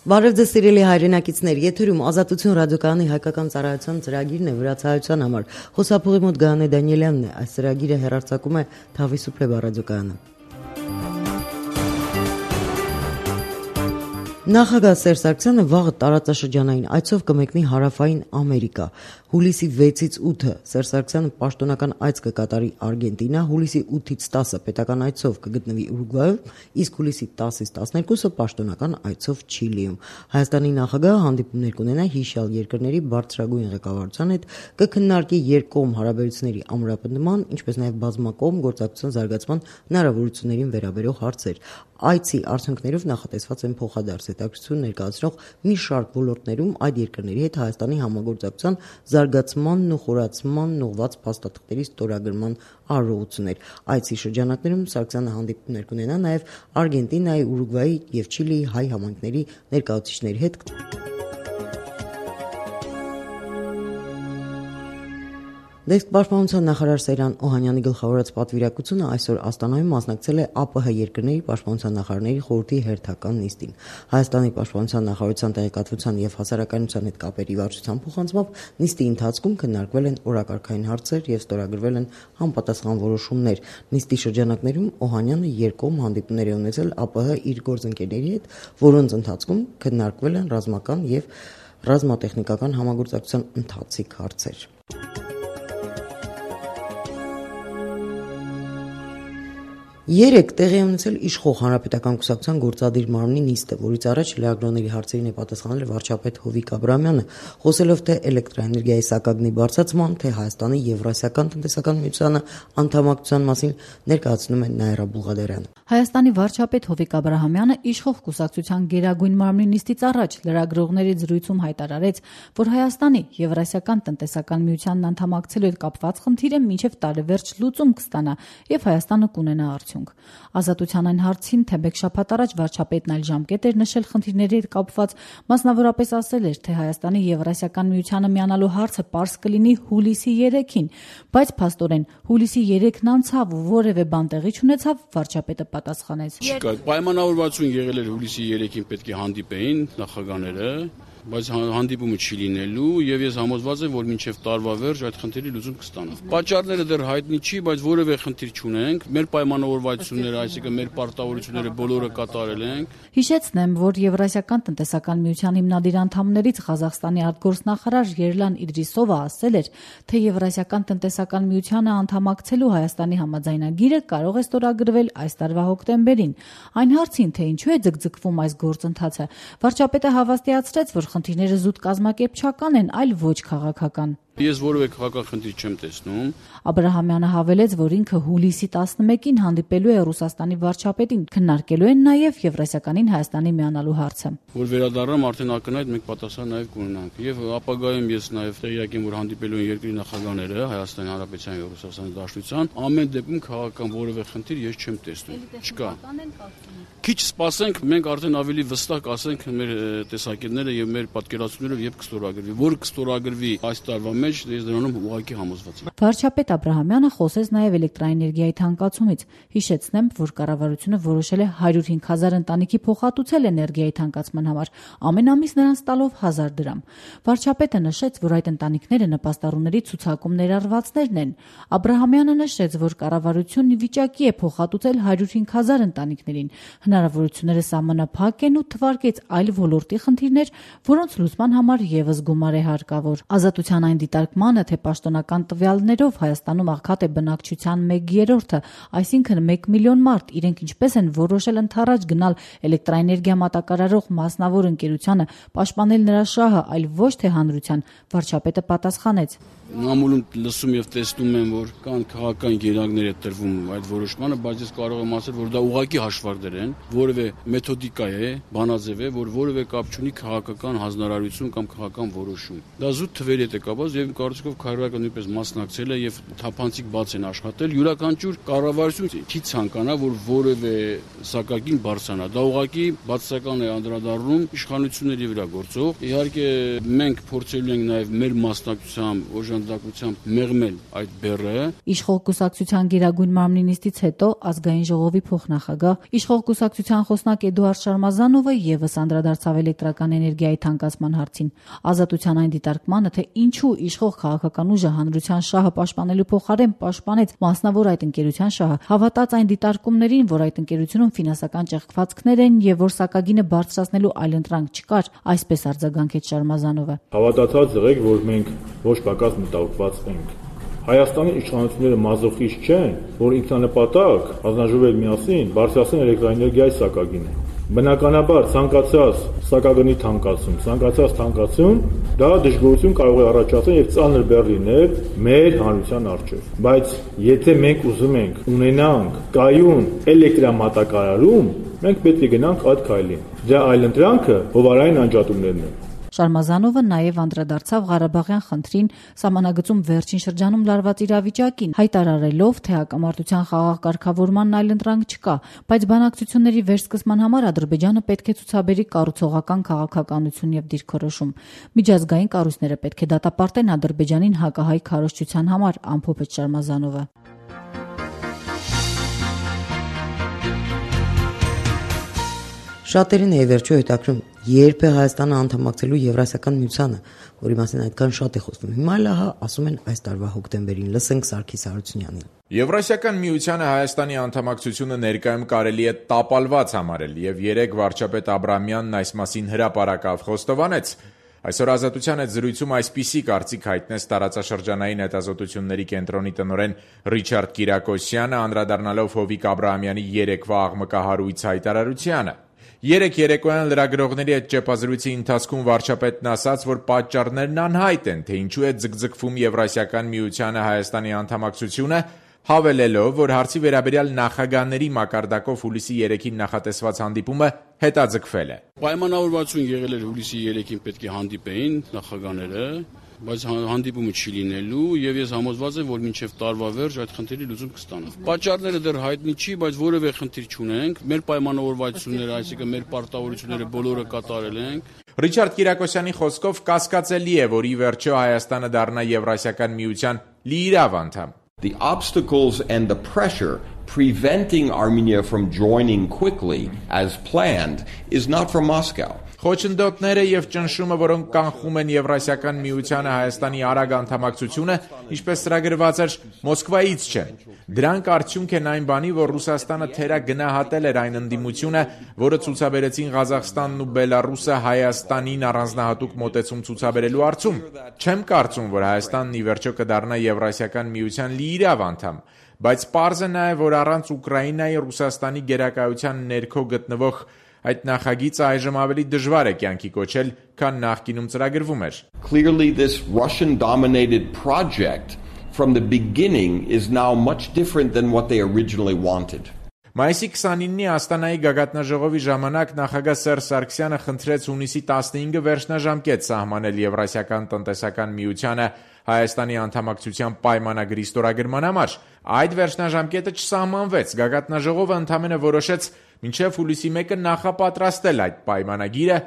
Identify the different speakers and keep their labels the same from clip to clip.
Speaker 1: Բարև ձեզ սիրելի հայրենակիցներ, եթերում Ազատություն ռադիոկայանի հայկական ծառայության ծրագիրն է վրացահայության համար։ Խոսափողի մոտ Գայանե Դանիելյանն է, այս ծրագիրը հեռարձակում է Թավիսուփլեբա ռադիոկայանը։ Նախագահ Սերժ Սարգսյանը վաղը տարածաշրջանային այցով կմեկնի հարավային Ամերիկա։ Հուլիսի 6-ից 8-ը Սերժ Սարգսյանը պաշտոնական այց կկատարի Արգենտինա, հուլիսի 8-ից 10-ը պետական այցով կգտնվի Ուրուգվայում, իսկ հուլիսի 10-ից 12-ը պաշտոնական այցով Չիլիում։ Հայաստանի նախագահը հանդիպումներ կունենա հիշյալ երկրների բարձրագույն ղեկավարության հետ, կքննարկի երկկողմ հարաբերությունների ամրապնդման, ինչպես նաև բազմակողմ գործակցության զարգացման հնարավորություններին վերաբերող հարցեր։ Այցի արդյունքներով նախատեսված են փոխադարձ հետաքրքրություն ներկայացնող մի շարք ոլորտներում այդ երկրների հետ Հայաստանի համագործակցության զարգացմանն ու խորացմանն ուղղված փաստաթղթերի ստորագրման արարողություններ։ Այցի շրջանակներում Սարգսյանը հանդիպումներ կունենա նաև Արգենտինայի, Ուրուգվայի և Չիլիի հայ համայնքների ներկայացուցիչների հետ։ Դեսկ պաշտպանության նախարար Սեյրան Օհանյանի գլխավորած պատվիրակությունը այսօր Աստանայում մասնակցել է ԱՊՀ երկրների պաշտպանության նախարարների խորհրդի հերթական նիստին։ Հայաստանի պաշտպանության նախարարության տեղեկատվության և հասարակայնության հետ կապերի վարչության փոխանցմամբ նիստի ընթացքում քննարկվել են օրակարգային հարցեր և ստորագրվել են համապատասխան որոշումներ։ Նիստի շրջանակներում Օհանյանը երկկողմ հանդիպումներ է ունեցել ԱՊՀ իր գործընկերների հետ, որոնց ընթացքում քննարկվել են ռազմական և ռազմատեխնիկական համագործակցության ընթացիկ հարցեր։ Երեկ տեղի ունեցել իշխող Հանրապետական կուսակցության գործադիր մարմնի նիստը, որից առաջ լրագրողների հարցերին է պատասխանել վարչապետ Հովիկ Աբրահամյանը, խոսելով թե էլեկտրաէներգիայի սակագնի բարձրացման, թե Հայաստանի Եվրասիական տնտեսական միությանը անդամակցության մասին ներկայացնում է Նաիրա Բուղադարյանը։
Speaker 2: Հայաստանի վարչապետ Հովիկ Աբրահամյանը իշխող կուսակցության գերագույն մարմնի նիստից առաջ լրագրողների զրույցում հայտարարեց, որ Հայաստանի Եվրասիական տնտեսական միությանն անդամակցելու հետ կապված խնդիրը մինչև տարեվերջ լուծում կստանա եւ Հայաստանը կունենա արդյունք։ Ազատության այն հարցին, թե մեկ շաբաթ առաջ վարչապետն այլ ժամկետ էր նշել խնդիրների հետ կապված, մասնավորապես ասել էր, թե Հայաստանի Եվրասիական միությանը միանալու հարցը պարզ կլինի հուլիսի 3-ին, բայց փաստորեն հուլիսի 3-ն անցավ ու որևէ բան տեղի չունեցավ, վարչապետը պատասխանեց.
Speaker 3: Չկա, պայմանավորվածություն եղել էր հուլիսի 3-ին պետք է հանդիպեին նախագահները, բայց հանդիպումը չի լինելու եւ ես համոզված եմ, որ մինչեւ տարվա վերջ այդ խնդիրի լուծում կստանա։ Պատճառները դեռ հայտնի չի, բայց որևէ խնդիր չունենք։ Մեր պայմանավորվածությունները, այսինքն մեր պարտավորությունները բոլորը կատարել ենք։
Speaker 2: Հիշեցնեմ, որ Եվրասիական տնտեսական միության հիմնադիր անդամներից Ղազախստանի արտգործնախարար Երլան Իդրիսովը ասել էր, թե Եվրասիական տնտեսական միությանը անդամակցելու Հայաստանի համաձայնագիրը կարող է ստորագրվել այս տարվա հոկտեմբերին։ Այն հարցին, թե ինչու է ձգձգվում այս գործընթացը, վարչապետը հավաստիացրեց, որ խնդիրները զուտ կազմակերպչական են, այլ ոչ քաղաքական։
Speaker 3: Ես որևէ քաղաքական խնդիր չեմ տեսնում։
Speaker 2: Աբրահամյանը հավելեց, որ ինքը հուլիսի 11-ին հանդիպելու է Ռուսաստանի վարչապետին, քննարկելու են նաև Եվրասիականին Հայաստանի միանալու հարցը։
Speaker 3: Որ վերադառնամ, արդեն ակնհայտ մենք պատասխան նաև կունենանք։ Եվ ապագայում ես նաև տեղյակ եմ, որ հանդիպելու են երկրի նախագահները Հայաստանի Հանրապետության եւ Ռուսաստանի Դաշնության, ամեն դեպքում քաղաքական որևէ խնդիր ես չեմ տեսնում։ Չկա։ Քիչ սպասենք, մենք արդեն ավելի վստահ կասենք մեր տեսակետները եւ մեր պատկերացումները երբ կստորագրվի, որ կստորագրվի այս տարվա մեջ, ես դրանում ուղղակի համոզված եմ։
Speaker 2: Վարչապետ Աբրահամյանը խոսեց նաև էլեկտրաէներգիայի թանկացումից։ Հիշեցնեմ, որ կառավարությունը որոշել է 105,000 ընտանիքի փոխհատուցել էներգիայի թանկացման համար, ամեն ամիս նրանց տալով 1000 դրամ։ Վարչապետը նշեց, որ այդ ընտանիքները նպաստառուների ցուցակում ներառվածներն են։ Աբրահամյանը նշեց, որ կառավարությունն ի վիճակի է փոխհատուցել 105,000 ընտանիքներին։ Հնարավորությունները սահմանափակ են ու թվարկեց այլ ոլորտի խնդիրներ, որոնց լուծման համար եւս գումար է հարկավոր։ Ազատության այն դիտարկմանը, թե պաշտոնական տվյալներով Հայաստանում աղքատ է բնակչության 1/3, այսինքն 1 միլիոն մարդ, իրենք ինչպես են որոշել ընդառաջ գնալ էլեկտրաէներգիա մատակարարող մասնավոր ընկերությանը, պաշտպանել նրա շահը, այլ ոչ թե հանրության, վարչապետը պատասխանեց.
Speaker 3: Նամուլում լսում եւ տեսնում եմ, որ կան քաղաքական գերակներ է տրվում այդ որոշմանը, բայց ես կարող եմ ասել, որ դա ուղղակի հաշվարկներ են, որևէ մեթոդիկա է, բանաձև է, որ որևէ կապ չունի քաղաքական հանձնարարություն կամ քաղաքական որոշում։ Դա զուտ թվերի հետ է կապված եւ իմ կարծիքով քայլակը նույնպես մասնակցել է եւ թափանցիկ բաց են աշխատել։ Յուրաքանչյուր կառավարություն չի ցանկանա, որ որևէ սակագին բարձրանա։ Դա ուղղակի բացասական է անդրադառնում իշխանությունների վրա գործող։ Իհարկե մենք փորձելու ենք նաեւ մեր մասնակցությամբ, օժանդակությամբ մեղմել այդ բեռը։
Speaker 2: Իշխող կուսակցության գերագույն մարմնի նիստից հետո ազգային ժողովի փոխնախագահ, իշխող կուսակցության խոսնակ Էդուարդ Շարմազանովը եւս անդրադարձավ էլեկտրական էներգիայի թանկացման հարցին։ Ազատության այն դիտարկմանը, թե ինչու իշխող քաղաքական ուժը հանրության շահը պաշտպանելու փոխարեն պաշտպանեց մասնավոր այդ ընկերության շահը, հավատաց այն դիտարկումներին, որ այդ ընկերությունում ֆինանսական ճեղքվածքներ են եւ որ սակագինը բարձրացնելու այլընտրանք չկար, այսպես արձագանքեց Շարմազանովը։
Speaker 4: Հավատացած եղեք, որ մենք ոչ պակաս մտահոգված ենք։ Հայաստանի իշխանությունները մազոխիստ չեն, որ ինքնանպատակ հանձնաժողովի միասին բարձրացնեն էլեկտրաէներգիայի սակագինը։ Բնականաբար ցանկացած սակագնի թանկացում դա դժգոհություն կարող է առաջացնել եւ ծանր բեռ լինել մեր հանրության առջեւ։ Բայց եթե մենք ուզում ենք ունենանք կայուն էլեկտրամատակարարում, մենք պետք է գնանք այդ քայլին։ Դրա այլընտրանքը հովարային անջատումներն են։
Speaker 2: Շարմազանովը նաև անդրադարձավ Ղարաբաղյան խնդրին, սահմանագծում վերջին շրջանում լարված իրավիճակին, հայտարարելով, թե հակամարտության խաղաղ կարգավորման այլընտրանք չկա, բայց բանակցությունների վերսկսման համար Ադրբեջանը պետք է ցուցաբերի կառուցողական քաղաքականություն եւ դիրքորոշում։ Միջազգային կառույցները պետք է դատապարտեն Ադրբեջանին հակահայ քարոզչության համար, ամփոփեց Շարմազանովը։
Speaker 1: Շատերին է վերջո հետաքրում, երբ է Հայաստանը անդամակցելու Եվրասիական միությանը, որի մասին այդքան շատ է խոսվում։ Հիմա լահա ասում են այս տարվա հոկտեմբերին, լսենք Սարգիս Հարությունյանին։
Speaker 5: Եվրասիական միությանը Հայաստանի անդամակցությունը ներկայում կարելի է տապալված համարել եւ երեք վարչապետ Աբրահամյանն այս մասին հրապարակավ խոստովանեց։ Այսօր Ազատության հետ զրույցում այսպիսի կարծիք հայտնեց տարածաշրջանային հետազոտությունների կենտրոնի տնօրեն Ռիչարդ Կիրակոսյանը, անդրադառնալով Հովիկ Աբրահամյանի երեկվա աղմկահարույց հայտարարությանը։ Երեք երեկոյան լրագրողների հետ ճեպազրույցի ընթացքում վարչապետն ասաց, որ պատճառներն անհայտ են, թե ինչու է ձգձգվում Եվրասիական միությանը Հայաստանի անդամակցությունը, հավելելով, որ հարցի վերաբերյալ նախագահների մակարդակով հուլիսի 3-ին նախատեսված հանդիպումը հետաձգվել է։
Speaker 3: Պայմանավորվածություն եղել էր հուլիսի 3-ին պետք է հանդիպեին նախագահները, բայց հանդիպումը չի լինելու եւ ես համոզված եմ, որ մինչեւ տարվա վերջ այդ խնդիրի լուծում կստանա։ Պատճառները դեռ հայտնի չի, բայց որևէ խնդիր չունենք։ Մեր պայմանավորվածությունները, այսինքն մեր պարտավորությունները բոլորը կատարել ենք։
Speaker 5: Ռիչարդ Կիրակոսյանի խոսքով կասկածելի է, որ ի վերջո Հայաստանը դառնա Եվրասիական միության լիիրավ անդամ։
Speaker 6: The obstacles and the pressure preventing Armenia from joining quickly as planned is not from Moscow.
Speaker 5: Խոչընդոտները եւ ճնշումը, որոնք կանխում են Եվրասիական միությանը Հայաստանի արագ անդամակցությունը, ինչպես ծրագրված էր, Մոսկվայից չեն։ Դրանք արդյունք են այն բանի, որ Ռուսաստանը թերագնահատել էր այն ընդդիմությունը, որը ցուցաբերեցին Ղազախստանն ու Բելարուսը Հայաստանին առանձնահատուկ մոտեցում ցուցաբերելու հարցում։ Չեմ կարծում, որ Հայաստանն ի վերջո կդառնա Եվրասիական միության լիիրավ անդամ, բայց պարզ է նաեւ, որ առանց Ուկրաինայի Ռուսաստանի գերակայության ներքո գտնվող այդ նախագիծը այժմ ավելի դժվար է կյանքի կոչել, քան նախկինում ծրագրվում էր։
Speaker 6: Clearly this Russian dominated project from the beginning is now much different than what they originally wanted.
Speaker 5: Մայիսի 29-ի Աստանայի գագաթնաժողովի ժամանակ նախագահ Սերժ Սարգսյանը խնդրեց հունիսի 15-ը վերջնաժամկետ սահմանել Եվրասիական տնտեսական միությանը Հայաստանի անդամակցության պայմանագրի ստորագրման համար։ Այդ վերջնաժամկետը չսահմանվեց։ Գագաթնաժողովը ընդամենը որոշեց մինչև հուլիսի 1-ը նախապատրաստել այդ պայմանագիրը,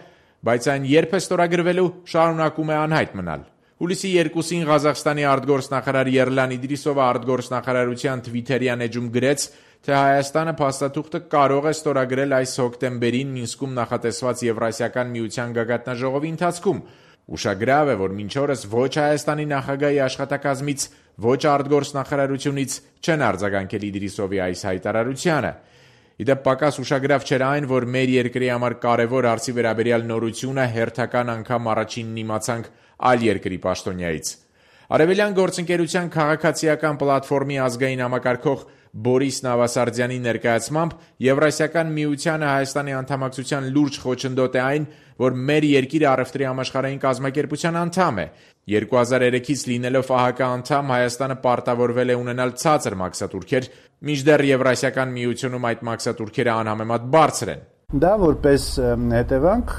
Speaker 5: բայց այն երբ է ստորագրվելու շարունակում է անհայտ մնալ։ Հուլիսի 2-ին Ղազախստանի արտգործնախարար Երլան Իդրիսովը արտգործնախարարության Թվիթերյան էջում գրեց, թե Հայաստանը փաստաթուղթը կարող է ստորագրել այս հոկտեմբերին Մինսկում նախատեսված Եվրասիական միության գագաթնաժողովի ընթացքում։ Ուշագրավ է, որ մինչ օրս ոչ Հայաստանի նախագահի աշխատակազմից, ոչ արտգործնախարարությունից չեն արձագանքել Իդրիսովի այս հայտարարությանը։ Իդեպ պակաս ուշագրավ չէր այն, որ մեր երկրի համար կարևոր հարցի վերաբերյալ նորությունը հերթական անգամ առաջինն իմացանք այլ երկրի պաշտոնյայից։ Արևելյան գործընկերության քաղաքացիական պլատֆորմի ազգային համակարգող Բորիս Նավասարդյանի ներկայացմամբ Եվրասիական միությանը Հայաստանի անդամակցության լուրջ խոչընդոտ է այն, որ մեր երկիրը առևտրի համաշխարհային կազմակերպության անդամ է։ 2003-ից լինելով ԱՀԿ անդամ Հայաստանը պարտավորվել է ունենալ ցածր մաքսատուրքեր, մինչդեռ Եվրասիական միությունում այդ մաքսատուրքերը անհամեմատ բարձր են։
Speaker 7: Դա որպես հետևանք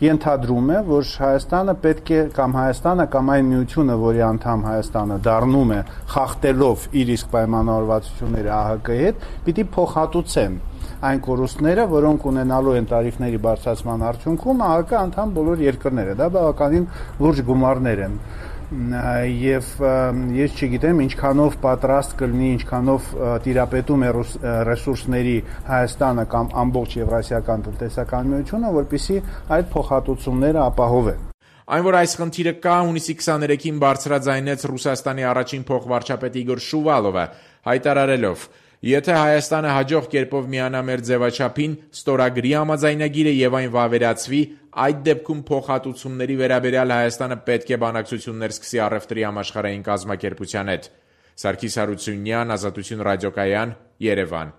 Speaker 7: ենթադրում է, որ Հայաստանը պետք է կամ Հայաստանը կամ այն միությունը, որի անդամ Հայաստանը դառնում է, խախտելով իր իսկ պայմանավորվածությունները ԱՀԿ-ի հետ, պիտի փոխհատուցեն այն կորուստները, որոնք ունենալու են տարիֆների բարձրացման արդյունքում ԱՀԿ անդամ բոլոր երկրները, դա բավականին լուրջ գումարներ են։ Եվ ես չգիտեմ ինչքանով պատրաստ կլինի, ինչքանով տիրապետում է ռեսուրսների Հայաստանը կամ ամբողջ Եվրասիական տնտեսական միությունը, որպեսզի այդ փոխհատուցումները ապահովեն։
Speaker 5: Այն, որ այս խնդիրը կա, հունիսի 23-ին բարձրաձայնեց Ռուսաստանի առաջին փոխվարչապետ Իգոր Շուվալովը, հայտարարելով. Եթե Հայաստանը հաջող կերպով միանա մեր ձևաչափին, ստորագրի համաձայնագիրը եւ այն վավերացվի, այդ դեպքում փոխհատուցումների վերաբերյալ Հայաստանը պետք է բանակցություններ սկսի առևտրի համաշխարհային կազմակերպության հետ։ Սարգիս Հարությունյան, Ազատություն ռադիոկայան, Երևան։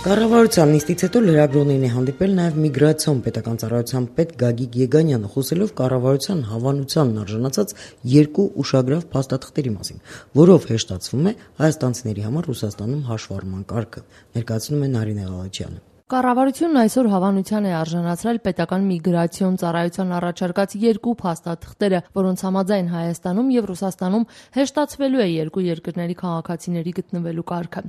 Speaker 1: Կառավարության նիստից հետո լրագրողներին է հանդիպել նաև միգրացիոն պետական ծառայության պետ Գագիկ Եգանյանը, խոսելով կառավարության հավանությանն արժանացած երկու ուշագրավ փաստաթղթերի մասին, որով հեշտացվում է հայաստանցիների համար Ռուսաստանում հաշվառման կարգը, ներկայացնում է Նարինե Ղալաջյանը։
Speaker 8: Կառավարությունն այսօր հավանության է արժանացրել պետական միգրացիոն ծառայության առաջարկած երկու փաստաթղթերը, որոնց համաձայն Հայաստանում եւ Ռուսաստանում հեշտացվելու է երկու երկրների քաղաքացիների գտնվելու կարգը։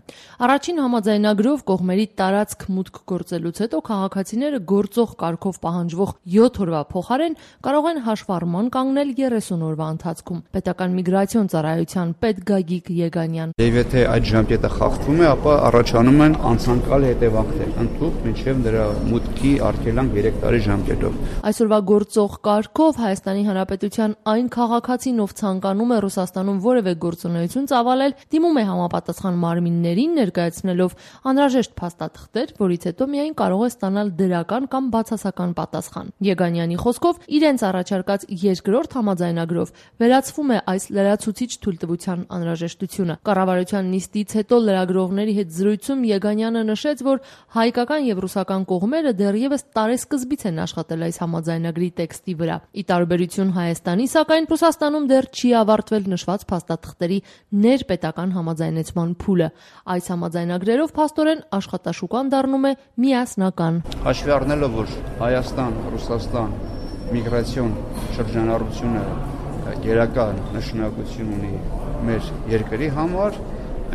Speaker 8: Առաջին համաձայնագրով կողմերի տարածք մուտք գործելուց հետո քաղաքացիները գործող կարգով պահանջվող 7 օրվա փոխարեն կարող են հաշվառման կանգնել 30 օրվա ընթացքում։ Պետական միգրացիոն ծառայության պետ Գագիկ Եգանյան։
Speaker 9: Եվ եթե այդ ժամկետը խախտվում է, ապա առաջանում են անցանկալ հետևանքներ։ Մինչև դրա մուտքի արգելանք 3 տարի ժամկետով։
Speaker 8: Այսօրվա գործող կարգով Հայաստանի Հանրապետության այն քաղաքացին, ով ցանկանում է Ռուսաստանում որևէ գործունեություն ծավալել, դիմում է համապատասխան մարմիններին, ներկայացնելով անհրաժեշտ փաստաթղթեր, որից հետո միայն կարող է ստանալ դրական կամ բացասական պատասխան։ Եգանյանի խոսքով, իրենց առաջարկած երկրորդ համաձայնագրով վերացվում է այս լրացուցիչ թույլտվության անհրաժեշտությունը։ Կառավարության նիստից հետո լրագրողների հետ զրույցում Եգանյանը նշեց, որ հայկական եւ ռուսական կողմերը դեռևս տարեսկզբից են աշխատել այս համաձայնագրի տեքստի վրա։ Ի տարբերություն Հայաստանի, սակայն Ռուսաստանում դեռ չի ավարտվել նշված փաստաթղթերի ներպետական համաձայնեցման փուլը։ Այս համաձայնագրերով փաստորեն աշխատաշուկան դառնում է միասնական։
Speaker 9: Հաշվի առնելով, որ Հայաստան, Ռուսաստան միգրացիոն շրջանառությունը գերակա նշանակություն ունի մեր երկրի համար,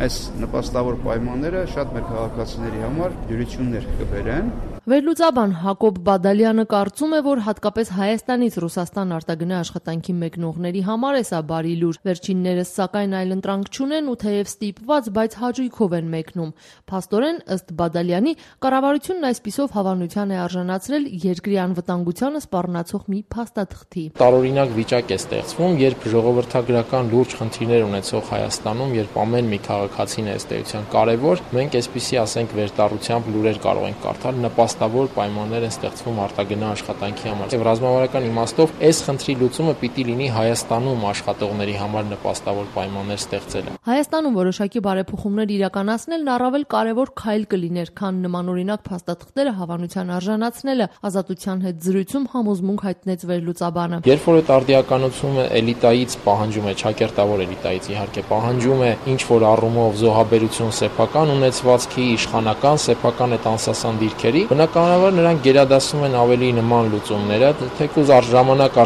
Speaker 9: այս նպաստավոր պայմանները շատ մեր քաղաքացիների համար դյուրություններ կբերեն։
Speaker 8: Վերլուծաբան Հակոբ Բադալյանը կարծում է, որ հատկապես Հայաստանից Ռուսաստան արտագնա աշխատանքի մեկնողների համար է սա բարի լուր։ Վերջիններս սակայն այլընտրանք չունեն ու թեև ստիպված, բայց հաճույքով են մեկնում։ Փաստորեն, ըստ Բադալյանի, կառավարությունն այսպիսով հավանության է արժանացրել երկրի անվտանգությանը սպառնացող մի փաստաթղթի։
Speaker 10: Տարօրինակ վիճակ է ստեղծվում, երբ ժողովրդագրական լուրջ խնդիրներ ունեցող Հայաստանում, երբ ամեն մի քաղաքացին է ըստ էության կարևոր, մենք այսպիսի, ասենք, վերտառությամբ լուրեր կարող ենք կարդալ, նպաստավոր պայմաններ են ստեղծվում արտագնա աշխատանքի համար։ Եվ ռազմավարական իմաստով այս խնդրի լուծումը պիտի լինի Հայաստանում աշխատողների համար նպաստավոր պայմաններ ստեղծելը։
Speaker 8: Հայաստանում որոշակի բարեփոխումներ իրականացնելն առավել կարևոր քայլ կլիներ, քան նմանօրինակ փաստաթղթերը հավանության արժանացնելը, Ազատության հետ զրույցում համոզմունք հայտնեց վերլուծաբանը։
Speaker 10: Երբ որ այդ արդիականությունը էլիտայից պահանջում է, ճակերտավոր էլիտայից իհարկե պահանջում է ինչ որ առումով զոհաբերություն սեփական ունեցվածքի, իշխանական սեփական այդ անսասան դիրքերի, բնականաբար նրանք գերադասում են ավելի նման լուծումները, թեկուզ առ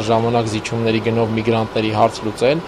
Speaker 10: ժամանակ զիջումների գնով միգրանտների հարց լուծել,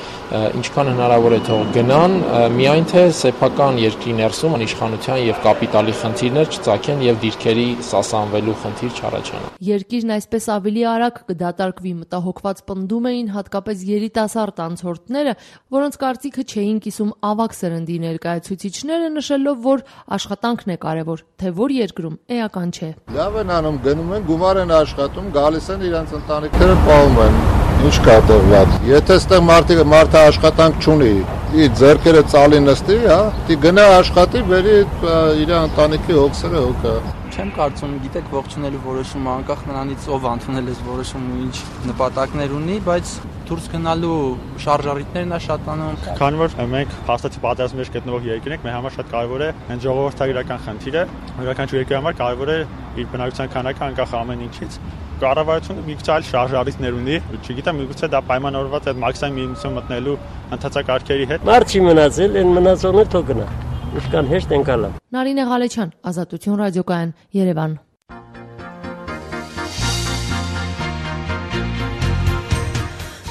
Speaker 10: ինչքան հնարավոր է թող գնան, միայն թե սեփական երկրի ներսում իշխանության եւ կապիտալի խնդիրներ չծագեն եւ դիրքերի սասանվելու խնդիր չառաջանա։
Speaker 8: Երկիրն այսպես ավելի արագ կդատարկվի, մտահոգված պնդում էին հատկապես երիտասարդ անցորդները, որոնց կարծիքը չէին կիսում ավագ սերնդի ներկայացուցիչները, նշելով, որ աշխատանքն է կարևոր, թե որ երկրում էական չէ։
Speaker 11: Լավ են անում, գնում են, գումար են աշխատում, գալիս են իրենց ընտանիքները պահում են։ Ինչ կա տեղված։ Եթե այստեղ մարդը աշխատանք չունի, իր ձեռքերը ծալի նստի, հա, դի գնա աշխատի, բերի իր ընտանիքի հոգսերը հոգա։
Speaker 12: Չեմ կարծում, գիտեք, ողջունելու որոշումը անկախ նրանից ով ընդունել է որոշումը ու ինչ նպատակներ ունի, բայց դուրս գնալու շարժառիթներն է շատանում։
Speaker 13: Քանի որ մենք հաստատի պատերազմի մեջ գտնվող երկրն ենք, մեր համար շատ կարևոր է այն ժողովրդագրական խնդիրը, յուրաքանչյուր երկրի համար կարևոր է իր բնակչության քանակը անկախ ամեն ինչից։ Կառավարությունը միգուցե այլ շարժառիթներ ունի, չգիտեմ, միգուցե դա պայմանավորված է մաքսիմում միություն մտնելու ընթացակարգերի հետ։
Speaker 14: Մարդ չի մնացել, այն մնացողներ թող գնա։ Ուսկան հեշտ ընկալա։
Speaker 8: Նարինե Ղալեչյան, Ազատություն ռադիոկայան, Երևան։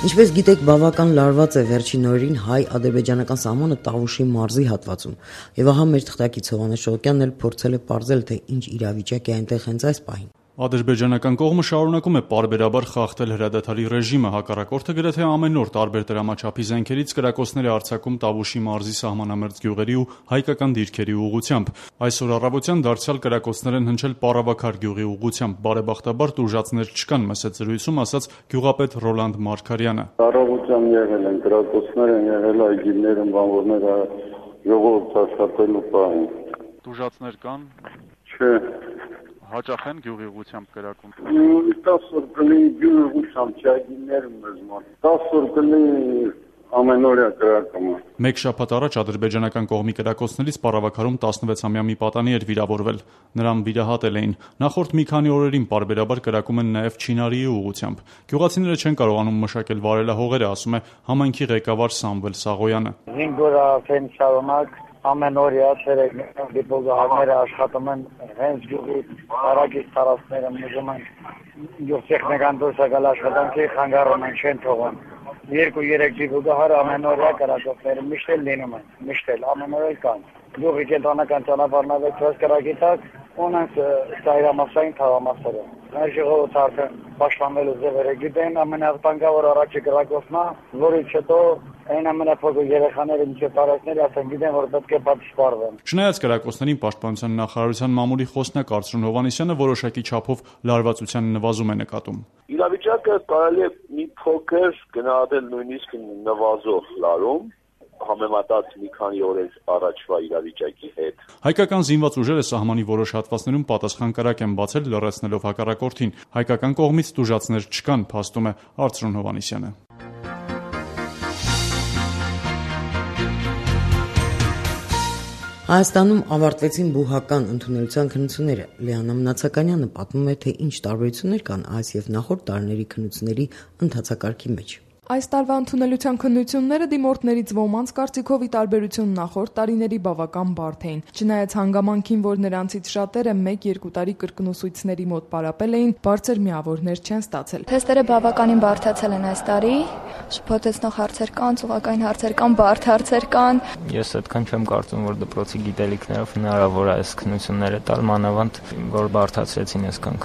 Speaker 1: Ինչպես գիտեք, բավական լարված է վերջին օրերին հայ-ադրբեջանական սահմանը Տավուշի մարզի հատվածում։ Եվ ահա մեր թղթակից Հովհաննես Շողոկյանն էլ փորձել է պարզել, թե ինչ իրավիճակ է այնտեղ հենց այս պահին։
Speaker 15: Ադրբեջանական կողմը շարունակում է պարբերաբար խախտել հրադադարի ռեժիմը, հակառակորդը գրեթե ամեն օր տարբեր դրամաչափի զենքերից կրակոցներ է արձակում Տավուշի մարզի սահմանամերձ գյուղերի ու հայկական դիրքերի ուղղությամբ։ Այսօր առավոտյան դարձյալ կրակոցներ են հնչել Պարավաքար գյուղի ուղղությամբ։ Բարեբախտաբար տուժածներ չկան, մսեց զրույցում ասաց գյուղապետ Ռոլանդ Մարգարյանը։
Speaker 16: Առավոտյան եղել են կրակոցներ են եղել այգիներում, բանվորները ժողովուրդ աշխատելու պահին։
Speaker 15: Տուժածներ կան։
Speaker 16: Չէ։
Speaker 15: Հաճախ են գյուղի ուղղությամբ կրակում։
Speaker 16: 10 օր կլինի գյուղի ուղղությամբ չայգիներում մեզ մոտ։ 10 օր կլինի ամենօրյա կրակումը։
Speaker 15: Մեկ շաբաթ առաջ ադրբեջանական կողմի կրակոցներից Պարավաքարում 16-ամյա մի պատանի էր վիրավորվել։ Նրան վիրահատել էին։ Նախորդ մի քանի օրերին պարբերաբար կրակում են նաև Չինարիի ուղղությամբ։ Գյուղացիները չեն կարողանում մշակել վարելահողերը, ասում է համայնքի ղեկավար Սամվել Սաղոյանը։
Speaker 17: 5 օր արդեն շարունակ ամեն օրյա ցերեկներում դիպուլգահները աշխատում են հենց գյուղի հարակից տարածքները մուժում են գյուղ տեխնիկան դուրս եկալ աշխատանքի խանգարում են չեն թողում 2-3 դիպուլգահար ամեն օրյա կրակոցները միշտ էլ լինում են միշտ էլ ամեն օր կան գյուղի կենտրոնական ճանապարհն ավելացված կրակի տակ ունենք ծայրամասային թաղամասերը մեր ժողովուրդը արդեն պաշտպանվելու ձևերը գիտեն ամենավտանգավոր առաջի կրակոցն է որից հետո այն ամենափոքր երեխաները մինչև տարածքները ասեն գիտեն որ պետք է պատասխանեն։
Speaker 15: Չնայած կրակոցներին պաշտպանության նախարարության մամուլի խոսնակ Արծրուն Հովհաննիսյանը որոշակի չափով լարվածության նվազում է նկատում։
Speaker 18: Իրավիճակը կարելի է մի փոքր գնահատել նույնիսկ նվազող լարում համեմատած մի քանի օրեր առաջվա իրավիճակի հետ։
Speaker 15: Հայկական զինված ուժերը սահմանի որոշ հատվածներում պատասխան կրակ են բացել լռեցնելով հակառակորդին։ Հայկական կողմից տուժածներ չկան, փաստում է Արծրուն Հովհաննիսյանը։
Speaker 1: Հայաստանում ավարտվեցին բուհական ընդունելության քննությունները։ Լիանա Մնացականյանը պատմում է, թե ինչ տարբերություններ կան այս եւ նախորդ տարիների քննությունների ընթացակարգի մեջ։
Speaker 19: Այս տարվա ընդունելության քննությունները դիմորդներից ոմանց կարծիքով ի տարբերություն նախորդ տարիների բավական բարդ էին։ Չնայած հանգամանքին, որ նրանցից շատերը 1-2 տարի կրկնուսույցների մոտ պարապել էին, բարձր միավորներ չեն ստացել։
Speaker 20: Թեստերը բավականին բարդացել են այս տարի։ Շփոթեցնող հարցեր կան, ծուղակային հարցեր կան, բարդ հարցեր կան։
Speaker 21: Ես այդքան չեմ կարծում, որ դպրոցի գիտելիքներով հնարավոր է այս քննությունները տալ, մանավանդ որ բարդացրեցին այսքան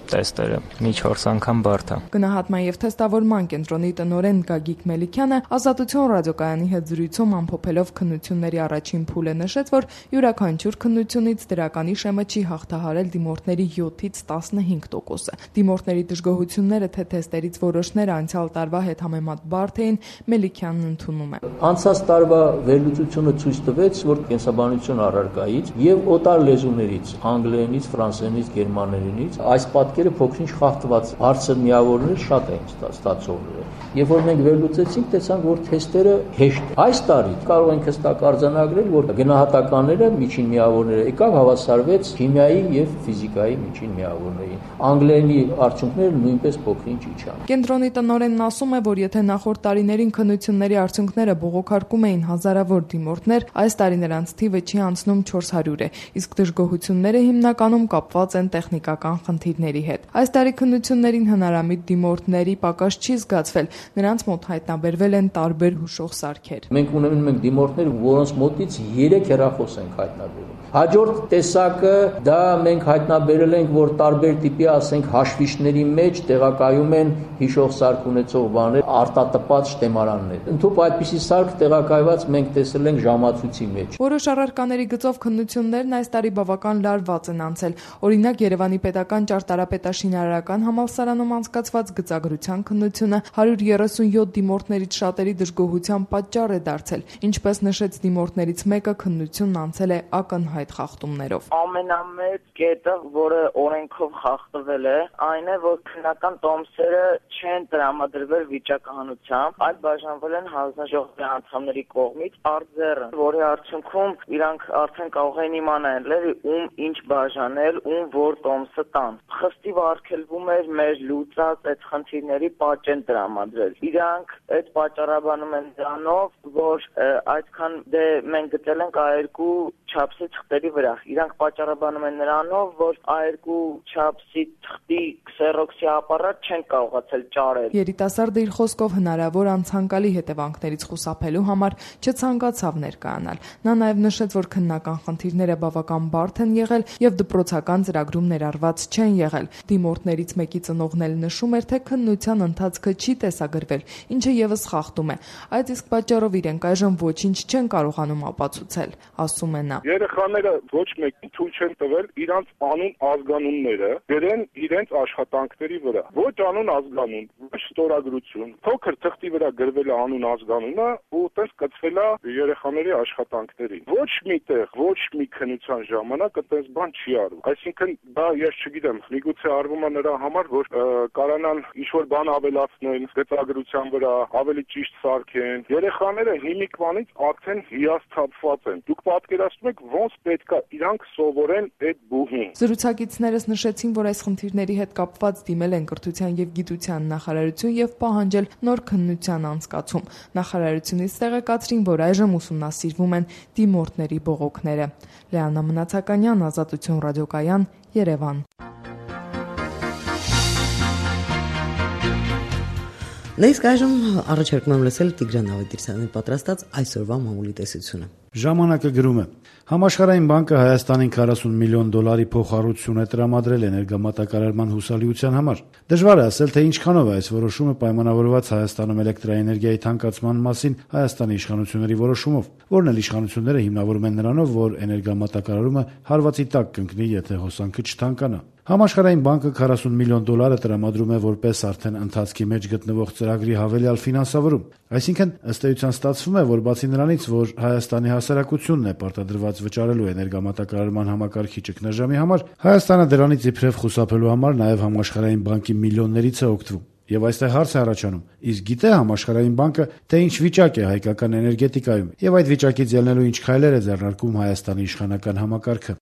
Speaker 21: տեստերը մի 4 անգամ բարդ է։
Speaker 19: Գնահատման եւ թեստավորման կենտրոնի տնօրեն Գագիկ Մելիքյանը Ազատություն ռադիոկայանի հետ զրույցում ամփոփելով քննությունների առաջին փուլը նշեց, որ յուրաքանչյուր քննությունից դրականի շեմը չի հաղթահարել դիմորդների 7-ից 15%-ը։ Դիմորդների դժգոհությունները թե թեստերից որոշները անցյալ տարվա հետ համեմատ բարդ էին, Մելիքյանն ընդունում է։
Speaker 22: Անցած տարվա վերլուծությունը ցույց տվեց, որ կենսաբանություն առարկայից եւ օտար լեզուներից, անգլերենից, ֆրանսերենից, գերմաներենից այս փոքրինչ խախտված հարցեր միավորներ շատ էին ստացողները։ Երբ որ մենք վերլուծեցինք, տեսանք, որ թեստերը հեշտ։ Այս տարի կարող ենք հստակ արձանագրել, որ գնահատականները միջին միավորները եկավ հավասարվեց քիմիայի եւ ֆիզիկայի միջին միավորներին։ Անգլերենի արդյունքները նույնպես փոքրինչ իջան։
Speaker 19: Կենտրոնի տնօրենն ասում է, որ եթե նախորդ տարիներին քննությունների արդյունքները բողոքարկում էին հազարավոր դիմորդներ, այս տարի նրանց թիվը չի անցնում 400 է, իսկ դժգոհությունները հիմնականում կապված են տեխնիկական խնդիրների հետ։ Այս տարի քննություններին հնարամիտ դիմորդների պակաս չի զգացվել, նրանց մոտ հայտնաբերվել են տարբեր հուշող սարքեր։
Speaker 22: Մենք ունենք դիմորդներ, որոնց մոտից 3 հեռախոս ենք հայտնաբերում։ Հաջորդ տեսակը դա մենք հայտնաբերել ենք, որ տարբեր տիպի, ասենք, հաշվիչների մեջ տեղակայում են հիշող սարք ունեցող բաներ, արտատպած շտեմարաններ։ Ընդհանուր այդպիսի սարք տեղակայված մենք տեսել ենք ժամացույցի մեջ։
Speaker 19: Որոշ առարկաների գծով քննություններն այս տարի բավական լարված են անցել։ Օրինակ Երևանի պետական ճարտարապետաշինարարական համալսարանում անցկացված գծագրության քննությունը 137 դիմորդներից շատերի դժգոհության պատճառ է դարձել։ Ինչպես նշեց դիմորդներից մեկը, քննությունն անցել է ակնհայտ խախտումներով։
Speaker 23: Ամենամեծ կետը, որը օրենքով խախտվել է, այն է, որ քննական տոմսերը չեն տրամադրվել վիճակահանությամբ, այլ բաժանվել են հանձնաժողովի անդամների կողմից արձեռն, որի արդյունքում իրանք արդեն կարող են իմանալ ում ինչ բաժանել, ում որ տոմսը տան։ Խստի ակտիվ արգելվում էր մեր լուծած այդ խնդիրների պատճեն տրամադրել։ Իրանք այդ պատճառաբանում են դրանով, որ այդքան մենք գտել ենք A2 չափսի թղթերի վրա։ Իրանք պատճառաբանում են նրանով, որ A2 չափսի թղթի քսերոքսի ապարատ չեն կարողացել ճարել։
Speaker 19: Երիտասարդը իր խոսքով հնարավոր անցանկալի հետևանքներից խուսափելու համար չցանկացավ ներկայանալ։ Նա նաև նշեց, որ քննական խնդիրները բավական բարդ են եղել եւ դպրոցական ծրագրում ներառված չեն եղել։ Դիմորդներից մեկի ծնողն էլ նշում էր, թե քննության ընթացքը չի տեսագրվել, ինչը եւս խախտում է։ Այդ իսկ պատճառով իրենք այժմ ոչինչ չեն կարողանում ապացուցել, ասում է նա։
Speaker 2: Երեխաները ոչ մեկին թույլ չեն տվել իրանց անուն ազգանունները գրեն իրենց աշխատանքների վրա։ Ոչ անուն ազգանուն, ոչ ստորագրություն։ Փոքր թղթի վրա գրվել է անուն ազգանունը ու այդպես կցվել է երեխաների աշխատանքներին։ Ոչ միտեղ, ոչ մի քննության ժամանակ այդպես բան չի արվում։ Այսինքն դա ես չգիտեմ, միգուցե արվում է նրա համար, որ կարանան ինչ-որ բան ավելացնել գծագրության վրա, ավելի ճիշտ սարքեն։ Երեխաները հիմիկվանից արդեն հիասթափված են։ Դուք պատկերացնում եք ոնց պետք է իրանք սովորեն այդ բուհին։
Speaker 19: Զրուցակիցներս նշեցին, որ այս խնդիրների հետ կապված դիմել են Կրթության եւ Գիտության նախարարություն եւ պահանջել նոր քննության անցկացում։ Նախարարությունից տեղեկացրին, որ այժմ ուսումնասիրվում են դիմորդների բողոքները։ Լեանա Մնացականյան, Ազատություն ռադիոկայան, Երևան։
Speaker 1: Նույնիսկ այժմ առաջարկում եմ լսել Տիգրան Ավետիսյանի պատրաստած այսօրվա մամուլի տեսությունը։
Speaker 4: Ժամանակը գրում է. Համաշխարհային բանկը Հայաստանին $40 միլիոն փոխհարություն է տրամադրել էներգամատակարարման հուսալիության համար։ Դժվար է ասել, թե ինչքանով է այս որոշումը պայմանավորված Հայաստանում էլեկտրաէներգիայի թանկացման մասին Հայաստանի իշխանությունների որոշումով, որն էլ իշխանությունները հիմնավորում են նրանով, որ էներգամատակարարումը հարվածի տակ կընկնի, եթե հոսանքը չթանկանա։ Համաշխարհային բանկը $40 միլիոն տրամադրում է որպես արդեն ընթացքի մեջ գտնվող ծրագրի հավելյալ ֆինանսավորում։ Այսինքն, ըստ էության ստացվում է, որ բացի նրանից, որ Հայաստանի հասարակությունն է պարտադրված վճարելու էներգամատակարարման համակարգի ճգնաժամի համար, Հայաստանը դրանից իբրև խուսափելու համար նաև համաշխարհային բանկի միլիոններից է օգտվում։ Եվ այստեղ հարց է առաջանում. իսկ գիտե համաշխարհային բանկը, թե ինչ վիճակ է հայկական էներգետիկայում, եւ այդ վիճակից ելնելու ինչ քայլեր է ձեռնարկում Հայաստանի իշխանական համակարգը։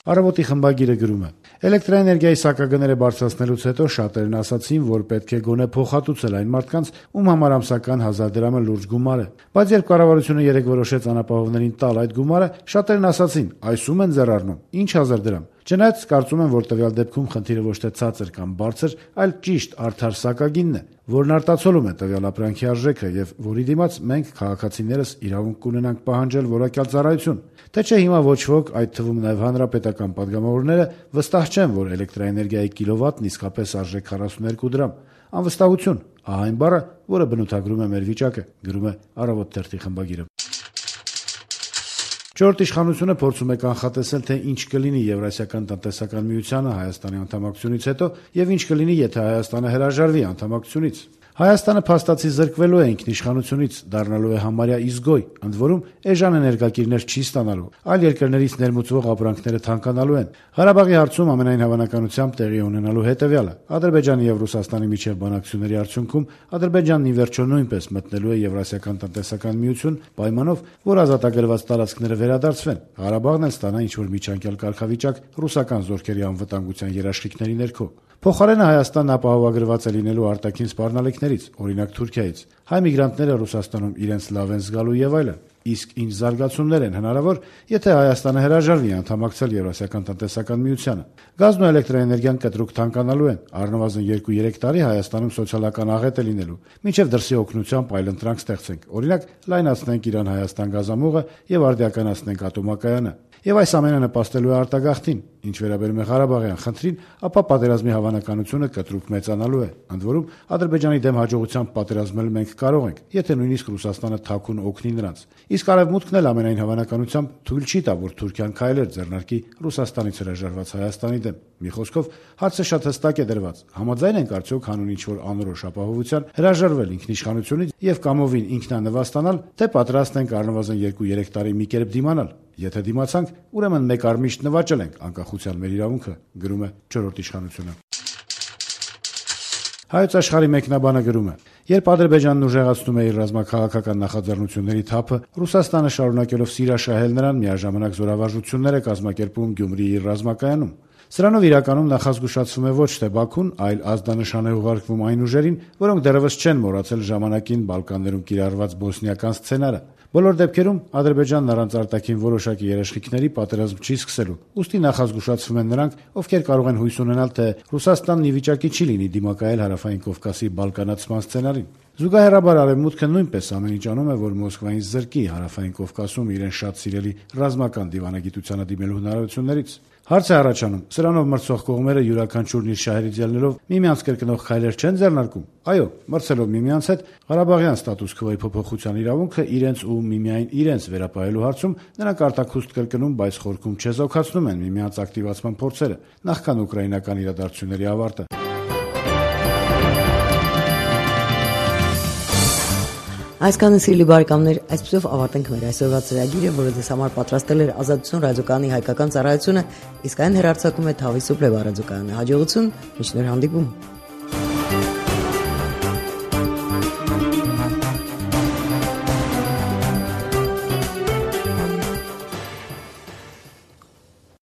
Speaker 4: Առավոտի խմբագիրը գրում է. Էլեկտրաէներգիայի սակագները բարձրացնելուց հետո շատերն ասացին, որ պետք է գոնե փոխհատուցել այն մարդկանց, ում համար ամսական 1000 դրամը լուրջ գումար է։ Բայց երբ կառավարությունը երեկ որոշեց անապահովներին տալ այդ գումարը, շատերն ասացին, այս ում են ձեռառնում, ինչ 1000 դրամ։ Չնայած կարծում եմ, որ տվյալ դեպքում խնդիրը ոչ թե ցածր կամ բարձր, այլ ճիշտ արդար սակագինն է, որն արտացոլում է տվյալ ապրանքի արժեքը եւ որի դիմաց մենք քաղաքացիներս իրավունք կունենանք պահանջել որակյալ ծառայություն։ Թե չէ հիմա ոչ ոք, այդ թվում նաեւ հանրապետական падգամավորները, վստահ չեն, որ էլեկտրաէներգիայի կիլովատն իսկապես արժե 42 դրամ։ Անվստահություն, ահա այն բառը, որը բնութագրում է մեր վիճակը, գրում է Առավոտ թերթի խմբագիրը։ Չորրորդ իշխանությունը փորձում է կանխատեսել, թե ինչ կլինի Եվրասիական տնտեսական միությանը Հայաստանի անդամակցությունից հետո եւ ինչ կլինի, եթե Հայաստանը հրաժարվի անդամակցությունից։ Հայաստանը փաստացի զրկվելու է ինքնիշխանությունից, դառնալու է համարյա իզգոյ, ընդ որում էժան էներգակիրներ չի ստանալու, այլ երկրներից ներմուծվող ապրանքները թանկանալու են։ Ղարաբաղի հարցում ամենայն հավանականությամբ տեղի ունենալու հետևյալը. Ադրբեջանի եւ Ռուսաստանի միջև բանակցությունների արդյունքում Ադրբեջանն ի վերջո նույնպես մտնելու է Եվրասիական տնտեսական միություն, պայմանով, որ ազատագրված տարածքները վերադարձվեն։ Ղարաբաղն էլ ստանա ինչ-որ միջանկյալ կարգավիճակ ռուսական զորքերի անվտանգության երաշխիքների ներքո։ Փոխարենը Հայաստանն ապահովագրված է լինելու արտաքին սպառնալիքներից, օրինակ Թուրքիայից։ Հայ միգրանտները Ռուսաստանում իրենց լավ են զգալու եւ այլն։ Իսկ ինչ զարգացումներ են հնարավոր, եթե Հայաստանը հրաժարվի անդամակցել Եվրասիական տնտեսական միությանը։ Գազն ու էլեկտրաէներգիան կտրուկ թանկանալու են, առնվազն 2-3 տարի Հայաստանում սոցիալական աղետ է լինելու, մինչև դրսի օգնությամբ այլընտրանք ստեղծենք, օրինակ լայնացնենք Իրան-Հայաստան գազամուղը եւ արդիականացնենք ատոմակայանը։ Եվ այս ամենը նպաստելու է արտագաղթին, ինչ վերաբերում է Ղարաբաղյան խնդրին, ապա պատերազմի հավանականությունը կտրուկ մեծանալու է։ Ընդ որում, Ադրբեջանի դեմ հաջողությամբ պատերազմել մենք կարող ենք, եթե նույնիսկ Ռուսաստանը թաքուն օգնի նրանց։ Իսկ Արևմուտքն էլ ամենայն հավանականությամբ թույլ չի տա, որ Թուրքիան քայլեր ձեռնարկի Ռուսաստանից հրաժարված Հայաստանի դեմ։ Մի խոսքով, հարցը շատ հստակ է դրված։ Համաձայն ենք արդյոք հանուն ինչ-որ անորոշ ապահովության հրաժարվել ինքնիշխանությունից եւ կամովին ինքնանվաստանալ, թե պատրաստ ենք առնվազն 2-3 տարի մի կերպ դիմանալ։ Եթե դիմացանք, ուրեմն մեկ արմիշտ նվաճել ենք անկախության մեր իրավունքը, գրում է չորրորդ իշխանությունը։ Հայոց աշխարհի մեկնաբանը գրում է. երբ Ադրբեջանն ուժեղացնում է իր ռազմաքաղաքական նախաձեռնությունների թափը, Ռուսաստանը շարունակելով սիրաշահել նրան միաժամանակ զորավարժություններ է կազմակերպում Գյումրիի իր ռազմակայանում։ Սրանով իրականում նախազգուշացվում է ոչ թե Բաքուն, այլ ազդանշան է ուղարկվում այն ուժերին, որոնք դեռևս չեն մոռացել ժամանակին Բալկաններում կիրառված բոսնիական սցենարը։ Բոլոր դեպքերում Ադրբեջանն առանց արտաքին որոշակի երաշխիքների պատերազմ չի սկսելու։ Ուստի նախազգուշացվում են նրանք, ովքեր կարող են հույս ունենալ, թե Ռուսաստանն ի վիճակի չի լինի դիմակայել Հարավային Կովկասի բալկանացման սցենարին։ Զուգահեռաբար Արևմուտքը նույնպես ամեն ինչ անում է, որ Մոսկվային զրկի Հարավային Կովկասում իրեն շատ սիրելի ռազմական դիվանագիտությանը դիմելու հնարավորություններից։ Հարց է առաջանում, սրանով մրցող կողմերը յուրաքանչյուրն իր շահերից ելնելով միմյանց կրկնող քայլեր չեն ձեռնարկում։ Այո, մրցելով միմյանց հետ Ղարաբաղյան ստատուս քվոյի փոփոխության իրավունքը իրենց ու միմիայն իրենց վերապահելու հարցում նրանք արտաքուստ կրկնում, բայց խորքում չեզոքացնում են միմյանց ակտիվացման փորձերը, նախքան ուկրաինական իրադարձությունների ավարտը։
Speaker 1: Այսքանը սիրելի բարեկամներ, այսպեսով ավարտենք մեր այսօրվա ծրագիրը, որը ձեզ համար պատրաստել էր Ազատություն ռադիոկայանի հայկական ծառայությունը, իսկ այն հեռարձակում է Թավի Սուպլե ռադիոկայանը։ Հաջողություն, մինչ նոր հանդիպում։